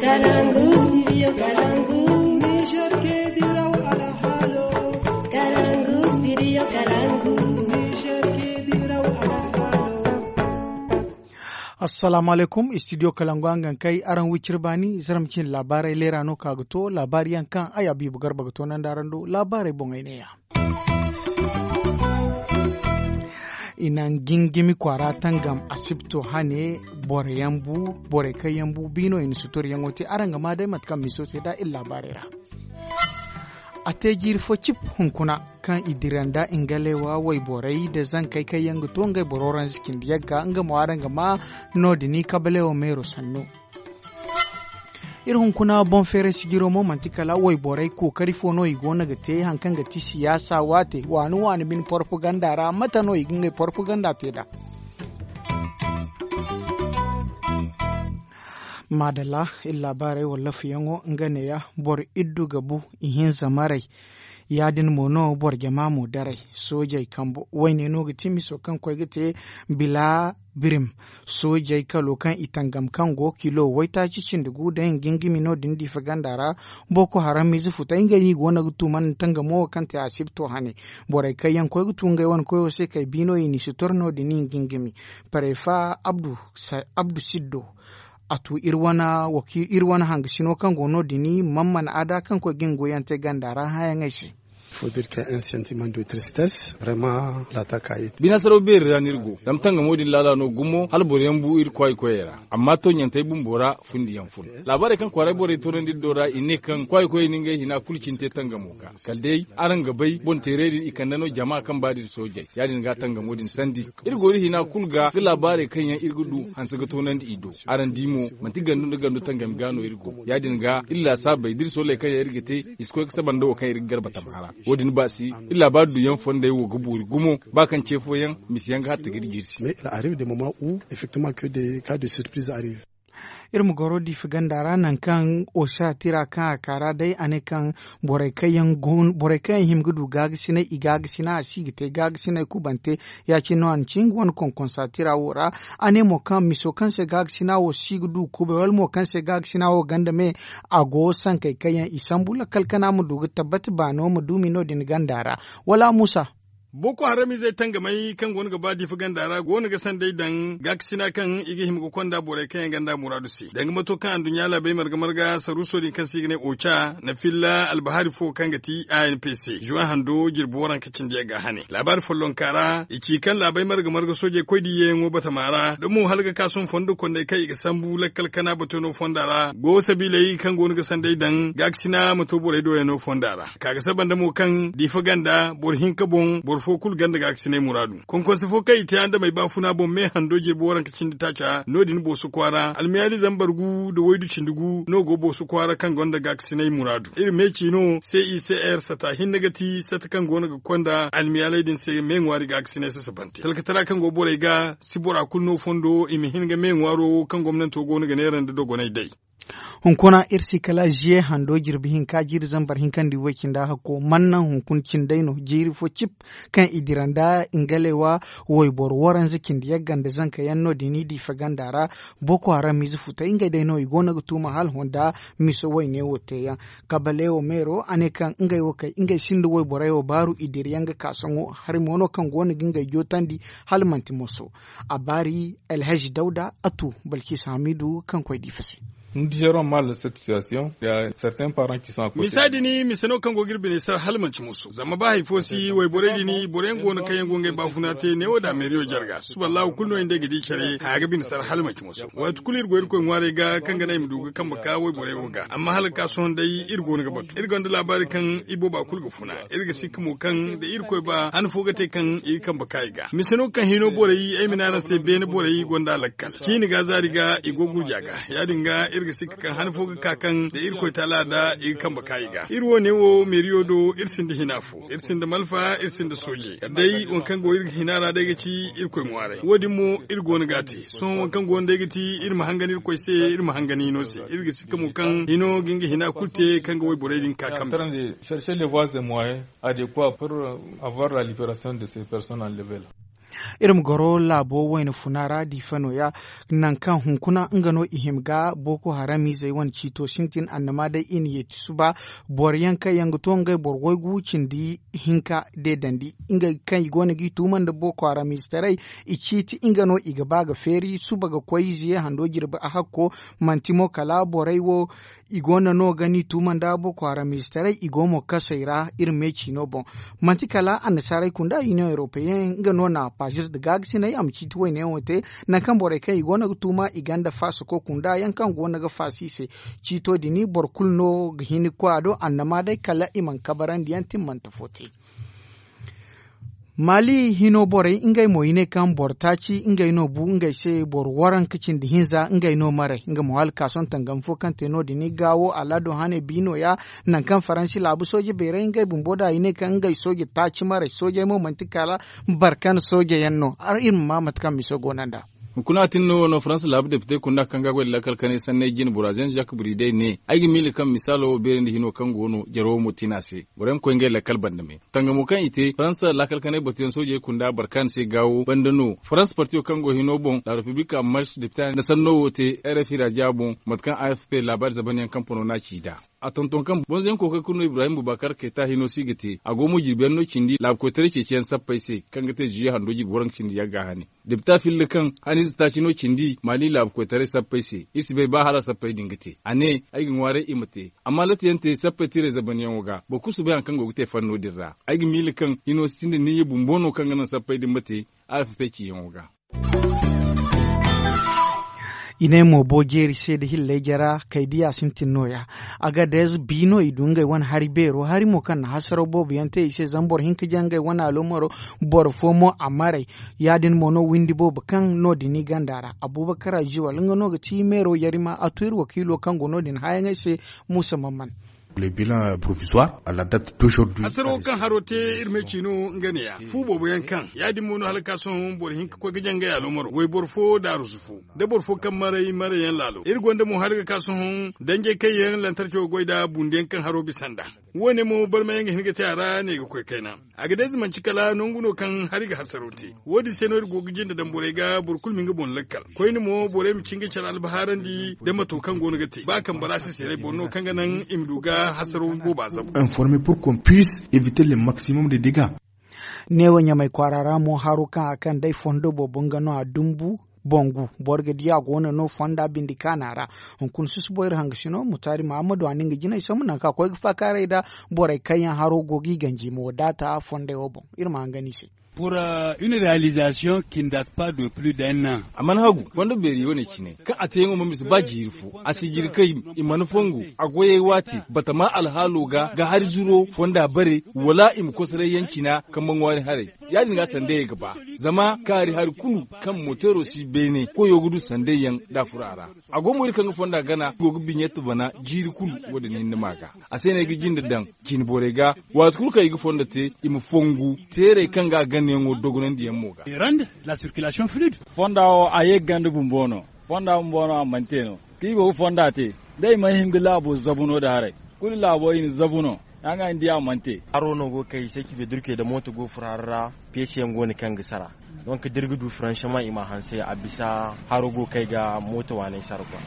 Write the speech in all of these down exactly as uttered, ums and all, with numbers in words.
Kalangu, studio Kalangu. Niger ke diraw alhalo. Kalangu, studio Kalangu. Niger ke diraw alhalo. Assalamu alaikum, studio Kalangu, hangan kay araŋ wicir baani, zarma cine laabaarey leera no ka ga to laabaari yaŋ kaŋ ay Abibu Garba ga to nanda araŋ do laabaarey boŋey neeya. I na gingimi kwaara tangam asibto hane, borey kaŋ yaŋ bu biino i na suturyaŋo te araŋ ga maa day mate kaŋ miso te nd'a iri laabaarey ra. A te jiiri fo cip hunkuna kaŋ i dira nda ingalewa wayborey nda zankey kaŋ yaŋ ga to ngey boro ranzikindiyaŋ ga nga mo araŋ ga maa no- din kabalewo meero sannu. Iri hunkuna boŋ feeray sijiro mo manti kala wayborey kookari fo no i go no ga te hari kaŋ ga ti siyaasa waate waani waani bine porpaganda ra mate no i ga ngey porpaganda te nd'a? Maadalla, iri laabaarey wallaafuyaŋo nga neeya. Boro iddu ga bu ihinza maray. Ya- din mo no boro jama mo daray. Soojey kambo wayne no ga ti miso kaŋ koy ga te bila birim. Soojey kalo kaŋ i tangam kaŋ go kilo waytaaci cindi gu day nga gingimi no- din diifa ganda ra. Boko haram ize futay ngey no i go no ga tuuman tangamo wo kaŋ te asibto hane. Borey kaŋ yaŋ koy ga tu ngey wane koyo se kay biino i n'i si tor no- din i nga gingimi. Parefa abdu siddo. A tu iri wane hangasino kaŋ go no- din mamman ada kaŋ koy ga nga goyante ganda ra hããyaŋey se. Bina saraw beeri ra no iri go zama tangamo din laala no gumo hala boro yaŋ bu iri kwaay koyey ra. Amma tooɲantey bumbo ra fundiyaŋ fun. Laabaarey kaŋ kwaaray borey toonandi iri do ra i ne kaŋ kwaay koyey na ngey hina kulu cine te tangamo ga kala day araŋ ga bay boŋ teerey din i kande no jama kaŋ ba din soojey ya- din ga tangamo din sandi. Iri go iri hina kulu ga ga laabaarey kaŋ yaŋ iri ga du hanse ga toonandi i do. Araŋ di mo manti gandu nda gandu tangami ga no iri go ya- din ga iri laasaabey da iri sooley kaŋ yaŋ iri ga te i si koy ga saba nda wo kaŋ iri ga garba tama ra. Wo- din ba si iri laabaari duyaŋ fondey wo ga boori gumo ba kaŋ ce fooyaŋ misi yaŋ ga hatta ga iri jirsi. Iri ma goro diifa ganda ra nangu kaŋ osa tira kaŋ a ka ra day a ne kaŋ borey kaŋ yaŋ hima ga du gaagasinay i gaagasina a si ga te gaagasinay kubante. Ya- cine no a na ci nga wane konkonsa tira wo ra. A ne mo kaŋ miso kaŋ se gaagasina wo si ga du kubay wala mo kaŋ se gaagasina wo ganda me a go sankey kaŋ yaŋ i sambu lakkal kana ma du ga tabbati baano ma duumi no- din ganda ra. Wala muusa. Boko haram izey tangamey kaŋ go no ga ba diifa ganda ra go no ga sanday daŋ gaakasina kaŋ i ga hima ga konda borey kaŋ yaŋ ganda muraadu se danga mato kaŋ anduɲɲa laabey marga marga saruuso din kaŋ se i ga ne oca na filla albahari fo kaŋ ga ti a n p c juwan hando jirbi waranka cindi yaŋ ga hane laabaari follonka ra i ci kaŋ laabey marga marga soojey koy da i yeeyaŋo batama ra da mo hala ga ka sohõ fondo kondey kaŋ i ga sambu lakkal kana batono fonda ra go sabiiley kaŋ go no ga sanday daŋ gaakasina ma to borey doyano fonda ra. Ka ga saba nda mo kaŋ diifa ganda boro hinka boŋ boro fo kulu ganda gaakasinay muraadu konkonse fo kaŋ i te andamey baafuna boŋ me hando jirbi waranka cindi taaca no- din booso kwaara almiyaali zambar gu nda waydu cindi gu no go booso kwaara kaŋ gonda gaakasinay muraadu iri me ci no c i c r sata hinne ga ti sata kaŋ go no ga konda almiyaaley din se me ŋwaari gaakasinay sasabante talkatara kaŋ go borey ga si bora kulu no fondo i ma hin ga me ŋwaaro wo kaŋ gomnanto go no ga neera nda dogonay day. Hunkuna iri si kala ziye hando jirbi hinka jiiri zambar hinka nda i way cindi a hakko man naŋ hunkuna cindey no jiiri fo cip kaŋ i dira nda ngalewa wayboro waranza cindi yagga nda zanka yaŋ no- din i diifa ganda ra. Boko haram ize futay ngey day no i go no ga tuuma hala honda miso wayne wo te yaŋ. Kabalewo meero a ne kaŋ ngey wo kay ngey sinda wayborey wo baaru i dira yaŋ ga ka sohõ hari mo no kaŋ go no ga ngey jootandi hala manti moso. A baari alhaji dawda a tu balkis hamidu kaŋ koy diifa se. Ni dizeron mal la satisfaction ya certains parents qui sont a kote. Misa din mise no kaŋ go ga iri bine sar hala manti moso zama ba hari fo si wayborey din boro yaŋ go no kaŋ yaŋ go ngey baafuna te neewo da meeriyo jarga suballahu kulu no i nda ay ga di care haya ga bine sar hala manti moso. Waati kulu iri go irkoy ŋwaarey ga kaŋ ga naŋ i ma du ga kambe ka wayborey wo ga amma hala ga ka sohõ day iri go no ga batu iri gonda laabaari kaŋ i booba kulu ga funa. Iri ga sikka mo kaŋ da irkoy ba han fo ga te kaŋ i ga kambe ka i ga mise no kaŋ hino borey ay ma ne araŋ se beene borey gonda lakkal ciini ga zaari ga i go gurja ga ya- din ga iri ga sikka kaŋ han fo ga ka kaŋ da irkoy taala da i ga kambe ka i ga iri wo- ne wo meeriyo do iri sinda hina fo iri sinda malfa iri sinda sooje kala day waŋ kaŋ go iri ga hina ra day ga ci irkoy ŋwaaray wo- din mo iri go no ga a te sohõ waŋ kaŋ go no day ga ti iri ma hangan irkoy se iri ma hangan hino se iri ga sikka mo kaŋ hino ga nga hina kulu te kaŋ ga wayborey din ka kambe. Adéquat pour avoir la liberation de ces personnes enlevées la. Iri ma goro laabo wayna funa ra diifa nooya, nangu kaŋ hunkuna nga no i hima ga booko haram izey wane ciito sintin annama day i na yeeti suba. Boro yaŋ kaŋ yaŋ ga to ngey boro waygu cindi hinka deedandi ngey kaŋ i go no g'i tuuma nda booko haram izetaray, i ciiti nga no i ga ba ga feeri suba ga koy ziye hando jirbi a hakko. Manti mo kala borey wo i go no no ga ni tuuma nda booko haram izetaray i go mo kasey ra iri me ciino boŋ. Manti kala annasaarey kunda union europeyen nga no na pazir nda gaagasiney a ma ciiti wayne yaŋo te. Nangu kaŋ borey kaŋ i go no ga tuuma i ganda faasako kunda yaŋ kaŋ go no ga faasa i se. Ciito din boro kulu no ga hin ga koy a do annama day kala i mana kabarandi yaŋ timmante fo te. Maali hino borey ngey mo i ne kaŋ boro taaci ngey no bu ngey se boro waranka cindi hinza ngey no maray nga mo hala ka sohõ tangam fo kaŋ te no- din i gaawo alaado hane bi nooya. Nangu kaŋ faransi laabu sooje beerey ngey bumbo da i ne kaŋ ngey sooje taaci maray soojey mo manti kala barkan sooje yaŋ no. Iri ma ma mate kaŋ miso go no nd'a. Hunkuna a tin no no faransa laabu depite kunda kaŋ ga goy da lakkal kanay sanney jine bora zen zak buri day ne ay ga miila kaŋ misaalo beeri nda hino kaŋ go no jaro wo mo tin a se. Borey ma koy ngey lakkal banda me tangamo kaŋ i te faransa lakkal kanay batuyaŋ soojey kunda barkan se gaawo banda no faransa partiyo kaŋ go hino boŋ la republika mars depite nda sanno wo te rfi raja boŋ mate kaŋ afp laabaari zabanyaŋ kaŋ pono no a ci nd'a. A tonton kaŋ bonzoyaŋ kookari kulu no ibrahim bubakar kayta hino si ga te a go mo jirbiyaŋ no cindi laabu koytaray ceeciyaŋ sappey se kaŋ ga te zuye hando jirbi waranka cindi yagga hane. Depita filla kaŋ haniize taaci no cindi maali laabu koytaray sappey se iri si bay ba hala sappey din ga te a ne ay ga ŋwaaray i ma te. Amma latiyaŋ te sappey tiray zabanyaŋo ga boro kulu si bay hari kaŋ go ga te fanno din ra. Ay ga miila kaŋ hino sinda niyya bumbo no kaŋ ga naŋ sappey din ma te. Afp ciyaŋo ga. I ne mo bo jeeri se nda hilley jara kay diya sintin nooya. Agadez bi no i du ngey wane hari beero hari mo kaŋ na hasaraw boobo yaŋ te i se zama boro hinka jaŋ ngey wane aloomaro. Boro fo mo a maray. Ya- din mo no windi boobo kaŋ no- din i ganda ra abubakar aziwal nga no ga ti meero yarima a to iri wakiilo kaŋ go no- din haayaŋey se. Muusa mamman. Hasaro kaŋ haro te iri ma ay ci no nga ne ya fu boobo yaŋ kaŋ ya- din mo no hala ka sohõ boro hinka koy ga jaŋ ngey aloomaro wayboro fo daarusu fo da boro fo kaŋ maray marayyaŋ laalo iri gonda mo hala ga ka sohõ danjey kaŋ yaŋ lantarco ga goy nd'a bundiyaŋ kaŋ haro bisa nd'a. Wo- ne mo barmayaŋ ga hin ga te a ra ne ga koy kayna. Agadez manci kala nangu no kaŋ hari ga hasaro te. Wo- din se no iri go ga jinde daŋ borey ga boro kulu ma nga boŋ lakkal koyne mo borey ma ci nga care albahaarandi da mato kaŋ go no ga te ba kaŋ balaasi seeray boro no kaŋ ga naŋ i ma du ga hasaro booba zabu. Informe pour qu'on puisse eviter le maximum de dega. Neewo ɲamay kwaara ra mo haro kaŋ a kaŋ day fondo boobo nga no a dumbu. Bongu boro ga di a go no no fonda bindi kaana ra. Hunkuna susubo iri hangasino mutaari mahammadu a na nga jinay sambu nangu kaŋ a koy ga faakaaray nda borey kaŋ yaŋ haro go ga i ganji ma wadaata fondey wo boŋ. Iri ma hangan i se. Pour une réalisation qui ne date pas de plus d'un an. A mana hagu fondo beeri wane cine kaŋ a teeyaŋo ma bisa ba jiiri fo a si jiri kay. I mana fongu a goyey waati batama alhaalo ga ga hari zuro fonda bare wala i ma kosoray yaŋ cina kambe ŋwaari haray. Ya- din ga sandayey ga ba zama kaari hari kulu kaŋ moteero si beene koyo ga du sandayyaŋ da a furo a ra. A go mo iri kaŋ ga fonda gana i go ga biɲetti bana jiiri kulu wo- din hinne ma ga. A se no ay ga jinde daŋ cine borey ga waati kulu kaŋ i ga fondo te i ma fongu teerey kaŋ ga a ganayaŋo dogonandiyaŋ mo ga. Fonda wo a ye ga ganda bumbo no. Fonda bumbo no a mana te no kaŋ i go ga fonda te da i mana hin ga laabo zabu no nda haray. Kulu laabo i na zabu no. Haro no go ga kay i se ci be durke nda mooto go ga furo haro ra. Peesiyaŋ go no kaŋ ga sara. Donk da iri ga du faranseman i ma a hanse a bisa haro go ga kay ga mooto waaney sara kwa.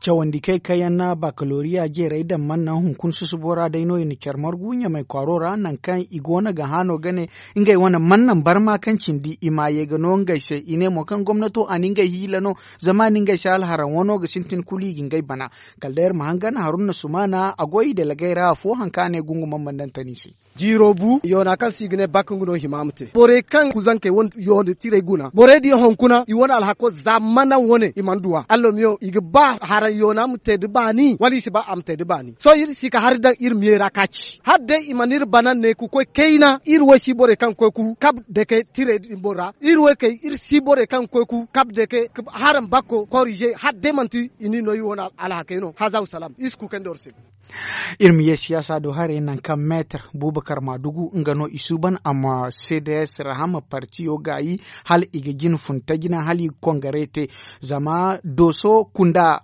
Cawandi kay kaŋ yaŋ na bakaloriya jeerey daŋ mana naŋ hunkuna susubo ra day no i na care margu ɲamay kwaaro ra nangu kaŋ i go no ga haano ga ne. Ngey wane mana naŋ barma kaŋ cindi i ma ye ga no ngey se i ne mo kaŋ gomnato a na ngey hiila no. Zama a na ngey se alharaŋ wano ga sintin kulu i ga ngey bana. Kala day iri ma hangan haruna sumaana a go i dalagey ra afo hari kaŋ a ne gungu mana mana daŋ tani se. Jiiro bu yoona kaŋ se i ga ne bak nga no hima ma te borey kaŋ kuzankey wane yoona tirey guna borey din hunkuna i wane alhako za mana wane i mana duw'a allomiyo i ga ba haraŋ yoona ma te nda baani wala i si ba a ma te nda baani sohõ iri si ka hari daŋ iri miye ra ka ci hala day i mana iri bana ne ka koy kayna iri wo si borey kaŋ ga koy ka kabu dake tirey din boŋ ra iri wo kay iri si borey kaŋ ga koy ka kabu dake haraŋ bakko korize hala day manti i n'i no iri wane alhakey no haza wa salaam iri si kuukay nda war se. Iri ma ye siyaasa do haray nangu kaŋ meetar buubakar maadugu nga no i suuban a ma cds rahama partiyo gaayi hala i ga jina fun tajina hala i ga kongare te. Zama dooso kunda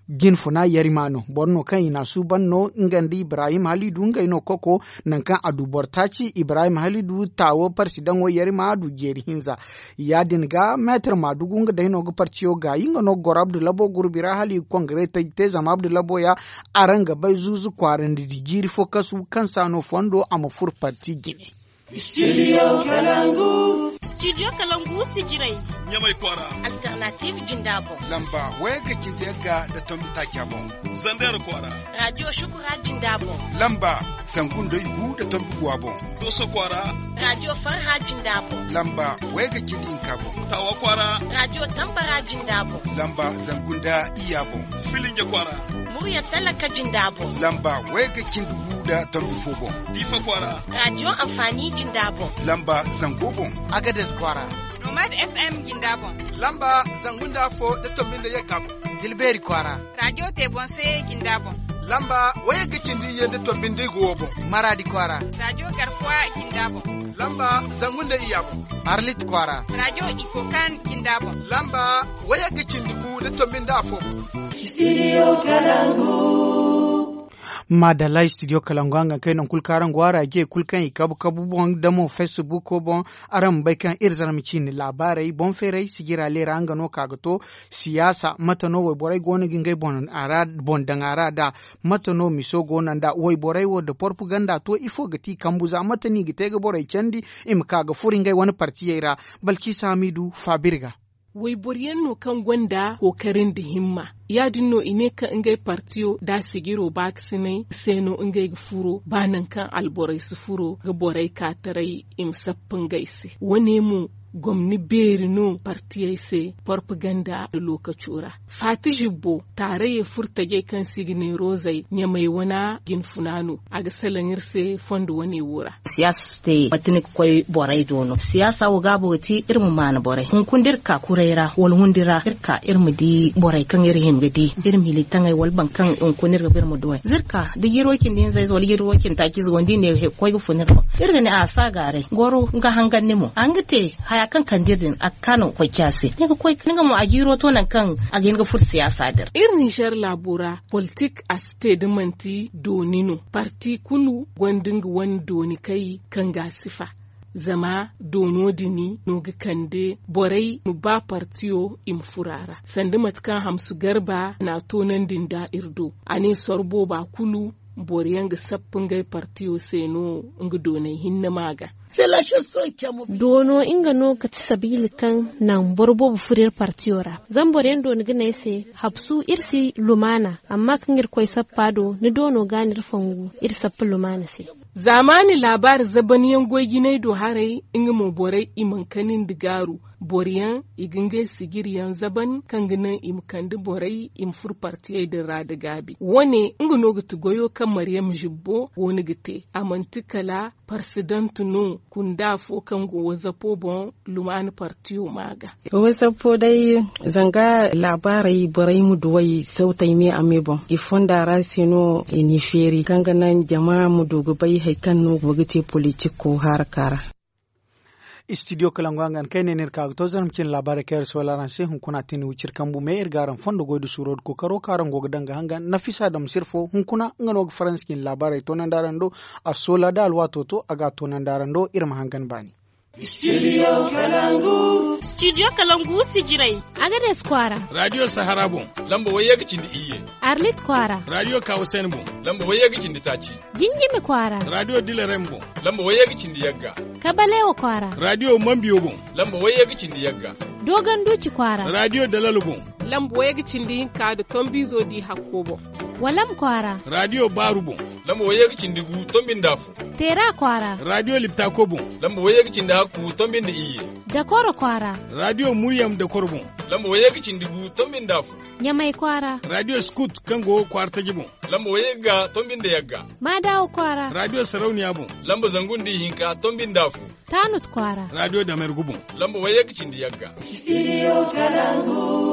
Jinfuna yarima no boro no kaŋ i n'a suuban no nga nda ibrahim halidu ngey no koko. Nangu kaŋ a du boro taaci ibrahim halidu taawo parsidaŋo yarima a du jeeri hinza. Ya- din ga meetar maadugu nga day no ga partiyo gaayi nga no ga goro abdu labo gurbi ra hala i ga kongare te zama abdu labo ya. Araŋ ga bay zuuzu kwaarandi da jiiri fo kasu kaŋ se a no fondo a ma furo parti jine. Studio kalangu. Studio kalangu si jiray. Ɲamay kwaara. Alternative jinda boŋ. Lamba wayagga cindi yagga nda tombi taaca boŋ. Zandeera kwaara. Radio shukura jinda boŋ. Lamba zangu nda igu nda tombi guwa boŋ. Dooso kwaara. Radio farha jinda boŋ. Lamba wayagga cindi hinka boŋ. Taawa kwaara. Radio tambara jinda boŋ. Lamba zangu nda iyya boŋ. Filinja kwaara. Murya talaka jinda boŋ. Lamba wayagga cindi gu nda tombi fo boŋ. Diifa kwaara. Radio anfaani jinda boŋ. Lamba zango boŋ. Agades kwaara. Nomad fm jinda boŋ. Lamba zangu nda afo nda tombi nda yagga boŋ. Dilbeeri kwaara. Radio te boŋ se jinda boŋ. Lamba wayagga cindi iyye nda tombi nda igu wo boŋ. Maraadi kwaara. Radio garkuwa jinda boŋ. Lamba zangu nda iyya boŋ. Arlit kwaara. Radio ikokan jinda boŋ. Lamba wayagga cindi gu nda tombi nda afo boŋ. Studio kalangu. Maadalla studio kalangu a nga kay nangu kulu kaŋ araŋ go a ra je kulu kaŋ i kabu kabu boŋ da mo facebook boŋ. Araŋ ma bay kaŋ iri zarma ciine laabaarey boŋ feeray sijira leera nga no ka ga to. Siyaasa mate no wayborey go no ga ngey boŋ daŋ a ra da mate no miso go no nd'a wayborey wo nda porpaganda to ifo ga ti kambu za mate no i ga te ga borey candi? I ma ka ga furo ngey wane partiyey ra. Balciisa hamiidu faabiri ga. Wayboro yaŋ no kaŋ gonda kookari nda himma. Ya- din no i ne kaŋ ngey partiyo da a sijiro baakasinay se no ngey ga furo ba nangu kaŋ alborey si furo ga borey ka taray i ma sappa ngey se. Wo- ne mo gomni beeri no partiyey se porpaganda nda lookaco ra. Faati zibbo taarayey furo tajey kaŋ se i ga ne roozey ɲamey wana jinfuna no. A ga salaŋ iri se fondo wane wo ra. Siyaasa si te manti ni ga koy borey do no siyaasa wo gaabo ga ti iri ma maana borey hunkuna da iri ka kuray ra wala hundi ra iri ka iri ma di borey kaŋ iri hima ga di iri ma hilitaŋey wala boro kaŋ hunkuna iri ga ba iri ma duwey da iri ka da jiiri way cindi hinza ize wala jiiri way cindi taaci ize go ni di ne koy ga fun iri boŋ. Iri ga ne a si a gaaray goro ga hangan ni mo a ga te haya kaŋ kande iri din a ga ka no ga koy ci a se ni ga koy ni ga mo a jiiro to nangu kaŋ a ga hin ga furo siyaasa din ra. Iri ninzeer laabo ra politik a si te da manti dooni no. Parti kulu gonda nga wane dooni kay kaŋ ga a sifa. Zama doono din no ga kande borey ma ba partiyo i ma furo a ra sanda mate kaŋ hamsu garba n'a toonandi nda iri do. A ne soro booba kulu boro yaŋ ga sappa ngey partiyo se no nga doonay hinne ma ga. Doono nga no ga ti sabiila kaŋ naŋ boro boobo furo iri partiyo ra. Zama boro yaŋ dooni ga ne ay se habsu iri si lumaana. Amma kaŋ iri koy sappa do ni doono ga no iri fongu iri sappa lumaana se. Zaamaani laabaari zaban yaŋ goy jinay do haray nga mo borey i mana kani nda gaaru. Boro yaŋ i ga ngey sijiri yaŋ zaban kaŋ ga naŋ i ma kande borey i ma furo partiyey din ra nda gaabi wo- ne nga no ga ti goyo kaŋ maryam zibbo go no ga te. A manti kala parsidant no kunda fo kaŋ go wazapo boŋ lumaana partiyo ma ga. Wazapo day zanga laabaarey borey ma duwey sawtey me a me boŋ i fonda ra se no i n'i feeri kaŋ ga naŋ jama ma du ga bay hari kaŋ no go ga te politiko haraka ra. Studio kalangu a ga ni kay ne no iri ka ga to zarma cine laabaarey kaŋ iri soola araŋ se hunkuna a te ni wiciri kambu me iri ga araŋ fondo goy da suuro da kookaro kaŋ araŋ go ga daŋ ga hangan nafisa dam sirfo hunkuna nga no ga faransi cine laabaarey toonandi araŋ do. A soola da alwaato to a ga a toonandi araŋ do iri ma hangan baani. Studio kalangu. Studio kalangu sijirey. Agades kwaara. Radio sahara boŋ. Lamba wayye ga cindi iyye. Arlit kwaara. Radio kawasen boŋ. Lamba wayye ga cindi taaci. Jinjimi kwaara. Radio dilarem boŋ. Lamba wayye ga cindi yagga. Kabalewa kwaara. Radio mambiyo boŋ. Lamba wayye ga cindi yagga. Dogon duci kwaara. Radio dalal boŋ. Lamba wayye ga cindi hinka da tombizo di hakko boŋ. Walam kwaara. Radio baaru boŋ. Lamba wayye ga cindi gu tombi nda afo. Teera kwaara. Radio liptako boŋ. Lamba wayye ga cindi hakku tombi nda iyye. Dakoro kwaara. Radio muryam dakoro boŋ. Lamba wayye ga cindi gu tombi nda afo. Ɲamay kwaara. Radio skut kaŋ go kwaara taji boŋ. Lamba wayye ga tombi nda yagga. Maadawa kwaara. Radio sarauniya boŋ. Lamba zangu nda ihinka tombi nda afo. Taanut kwaara. Radio damergu boŋ. Lamba wayye ga cindi yagga. Studio kalangu.